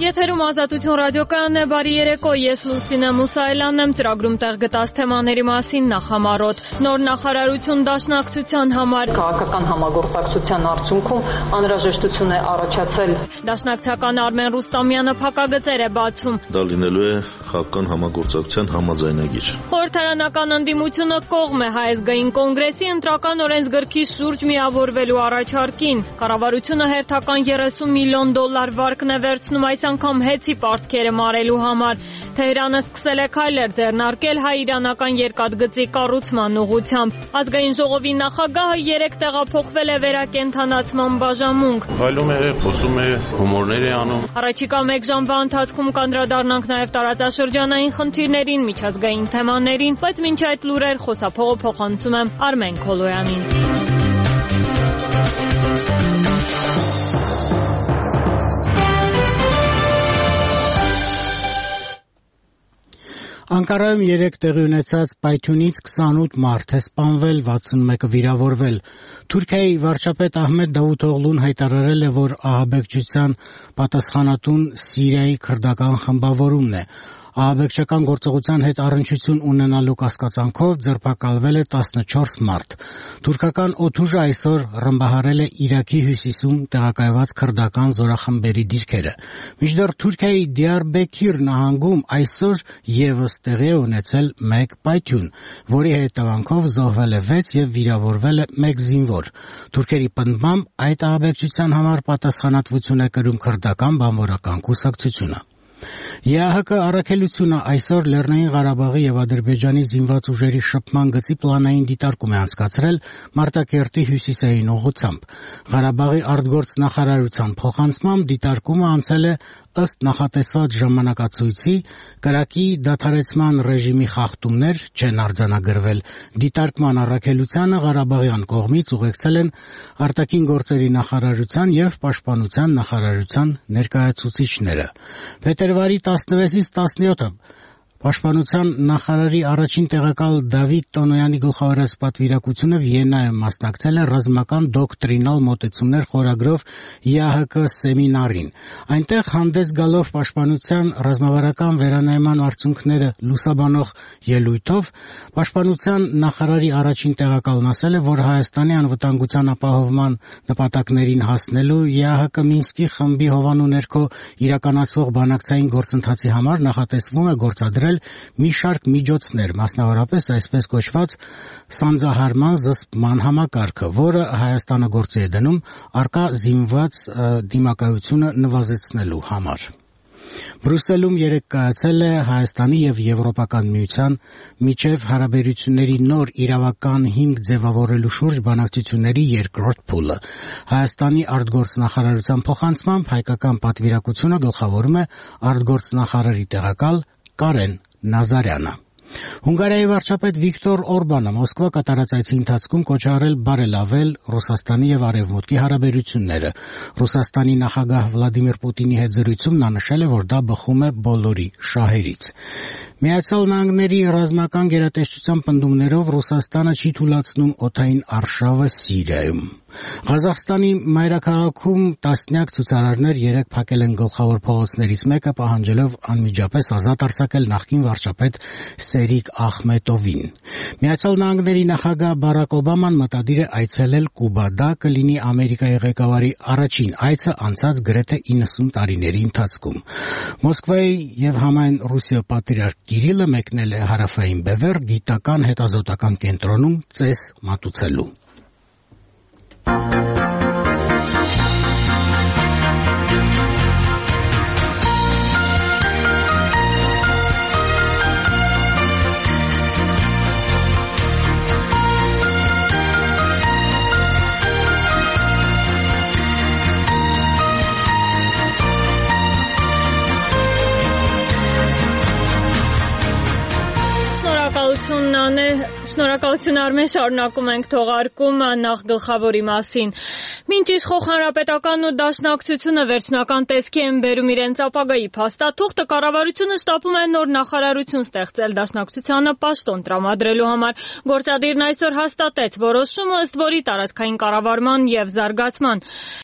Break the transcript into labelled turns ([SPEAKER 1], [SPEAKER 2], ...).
[SPEAKER 1] Եթերում Ազատություն ռադիոկայանն է, բարի երեկո, ես Լուսինե Մուսայելյանն եմ, ծրագրում տեղ գտած թեմաների մասին նախամարոտ։ Նոր նախարարություն դաշնակցության համար
[SPEAKER 2] քաղաքական համագործակցության արդյունքում անհրաժեշտություն է առաջացել։
[SPEAKER 1] Դաշնակցական Արմեն Ռուստամյանը փակագծեր է բացում։
[SPEAKER 3] Դա լինելու է քաղաքական համագործակցության համաձայնագիր։
[SPEAKER 1] Խորհրդարանական ընդդիմությունը կողմ է Հայազգային կոնգրեսի ընտրական օրենսգրքի շուրջ միավորվելու առաջարկին։ Կառավարությունը հերթական $30 միլիոն վարկն է վերցնում այս անգամ հեծի պարտքերը մարելու համար։ Թեհրանը սկսել է քայլեր ձեռնարկել հայ-իրանական երկաթգծի կառուցման ուղղությամբ։ Ազգային ժողովի նախագահը 3 տեղափոխվել է վերակենդանացման բաժանմունք։
[SPEAKER 4] Վայելում է, խոսում է, հումորներ է անում։
[SPEAKER 1] Առաջիկա 1 ժամվա ընթացքում կանդրադառնանք նաև տարածաշրջանային խնդիրներին, միջազգային թեմաներին, բայց մինչ այդ լուրեր խոսափողը փոխանցում եմ Արմեն Քոլոյանին։
[SPEAKER 5] Անկարայում 3 տեղի ունեցած պայթյունից 28 մարդ է սպանվել, 61-ը վիրավորվել։ Թուրքիայի վարչապետ Ահմեդ Դավութօղլուն հայտարարել է, որ ահաբեկչության պատասխանատուն Սիրիայի քրդական խմբավորումն է։ Ահաբեկչական գործողության հետ առնչություն ունենալու կասկածանքով ձերբակալվել է 14 մարդ։ Թուրքական օդուժը այսօր ռմբահարել է Իրաքի հյուսիսում տեղակայված քրդական զորախմբերի դիրքերը։ Մինչդեռ Թուրքիայի Դիարբեքիր նահանգում այսօր եւս տեղի է ունեցել 1 պայթյուն, որի հետևանքով զոհվել է 6 եւ վիրավորվել է 1 զինվոր։ Թուրքերի պնդմամբ այդ ահաբեկչության համար պատասխանատվություն է կրում քրդական բանվորական կուսակցությունը։ ԵԱՀԿ առաքելությունը այսօր Լեռնային Ղարաբաղի եւ Ադրբեջանի զինված ուժերի շփման գծի պլանային դիտարկում է անցկացրել Մարտակերտի հյուսիսային ուղղությամբ։ Ղարաբաղի արտգործնախարարության փոխանցմամբ դիտարկումը անցել է ըստ նախատեսված ժամանակացույցի, կրակի դադարեցման ռեժիմի խախտումներ չեն արձանագրվել։ Դիտարկման առաքելությանը Ղարաբաղյան կողմից ուղեկցել են արտաքին գործերի նախարարության եւ պաշտպանության նախարարության ներկայացուցիչները։ Փետրվարի 16-ից 17-ը Պաշտպանության նախարարի առաջին տեղակալ Դավիթ Տոնոյանի գլխավորած պատվիրակությունը Վիեննայում մասնակցել է ռազմական դոկտրինալ մոտեցումներ խորագրով ԵԱՀԿ սեմինարին։ Այնտեղ հանդես գալով պաշտպանության ռազմավարական վերանայման արդյունքները լուսաբանող ելույթով պաշտպանության նախարարի առաջին տեղակալն ասել է, որ Հայաստանի անվտանգության ապահովման նպատակներին հասնելու ԵԱՀԿ Մինսկի խմբի հովանու ներքո իրականացվող բանակցային գործընթացի համար նախատեսվում է գործադրել մի շարք միջոցներ, մասնավորապես այսպես կոչված սանձահարման զսպման համակարգը, որը Հայաստանը գործի է դնում առկա զինված դիմակայությունը նվազեցնելու համար։ Բրյուսելում երեկ կայացել է Հայաստանի եւ Եվրոպական միության միջև հարաբերությունների նոր իրավական հիմք ձևավորելու շուրջ բանակցությունների երկրորդ փուլը։ Հայաստանի արտգործնախարարության փոխանցմամբ հայկական պատվիրակությունը գլխավորում է արտգործնախարարի տեղակալ Կարեն Նազարյանը։ Հունգարիայի վարչապետ Վիկտոր Օրբանը Մոսկվա կատարած այցի ընթացքում կոչ արել բարելավել Ռուսաստանի եւ Արևմուտքի հարաբերությունները։ Ռուսաստանի նախագահ Վլադիմիր Պուտինի հետ զրույցում նա նշել է, որ դա բխում է բոլորի շահերից։ Միացյալ Նահանգների ռազմական գերատեսչության պնդումներով Ռուսաստանը չի թույլատրում օդային արշավը Սիրիայում։ Ղազախստանի մայրաքաղաքում տասնյակ ցուցարարներ երեկ փակել են գլխավոր փողոցներից մեկը, պահանջելով անմիջապես ազատ արձակել նախկին վարչապետ Սերիկ Ախմետովին։ Միացյալ Նահանգների նախագահ Բարակ Օբաման մտադիր է այցելել Կուբա։ Դա կլինի Ամերիկայի ղեկավարի առաջին այցը անցած գրեթե 90 տարիների ընթացքում։ Մոսկվայի եւ համայն Ռուսիա պատրիարք Կիրիլը մեկնել է հարավային բևեռ գիտական հետազոտական կենտրոնում ծես մատուցելու։
[SPEAKER 1] Շնորհակալություն Արմեն, շարունակում ենք թողարկումը նախ գլխավորի մասին։ Մինչ իշխող հանրապետականն ու դաշնակցությունը վերջնական տեսքի են բերում իրենց ապագայի փաստաթուղթը, կառավարությունը շտապում է նոր նախարարություն ստեղծել դաշնակցությանը պաշտոն տրամադրելու համար։ Գործադիրն այսօր հաստատեց որոշումը, ըստ որի տարածքային կառավարման եւ զարգացման